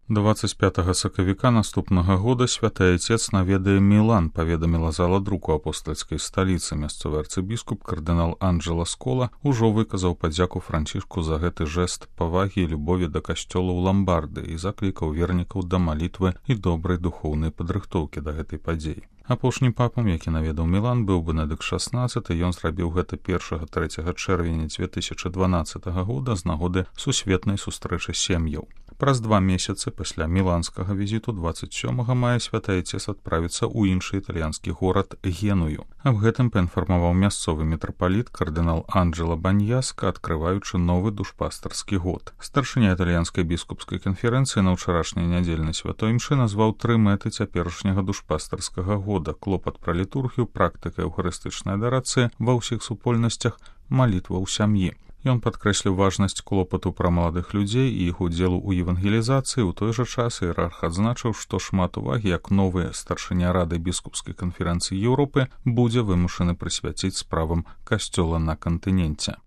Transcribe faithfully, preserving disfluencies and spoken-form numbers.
дваццаць пятага сакавіка наступнага года святы айцец наведае Мілан, паведаміла зала друку апостальскай сталіцы. Мясцовы арцыбіскуп кардынал Анджела Скола ўжо выказаў падзяку Францішку за гэты жэст павагі і любові да касцёла ў Ламбарды і заклікаў вернікаў да малітвы і добрай духоўнай падрыхтоўкі да гэтай падзеі. Апошнім папам, які наведаў Мілан, быў Бенедыкт шаснаццаты, ён зрабіў гэта першага-трэцяга чэрвеня дзве тысячы дванаццатага года з нагоды сусветнай сустрэчы сем'яў. Праз два месяцы пасля міланскага візіту дваццаць сёмага мая святы айцец адправіцца ў іншы італьянскі горад Геную. Аб гэтым паінфармаваў мясцовы мітрапаліт кардынал Анджела Баньяска, адкрываючы новы душпастарскі год. Старшыня італьянскай біскупскай канферэнцыі на ўчарашняй нядзельнай святой імшы назваў тры мэты цяперашняга душпастарскага года: клопат пра літургію, практыка эўхарыстычнай адарацыі ва ўсіх супольнасцях, малітва ў сям'і. Ён падкрэсліў важнасць клопату пра маладых людзей і іх удзелу ў евангелізацыі. У той жа час іерарх адзначыў, што шмат увагі, як новы старшыня рады біскупскай канферэнцыі Еўропы, будзе вымушаны прысвяціць справам касцёла на кантыненце.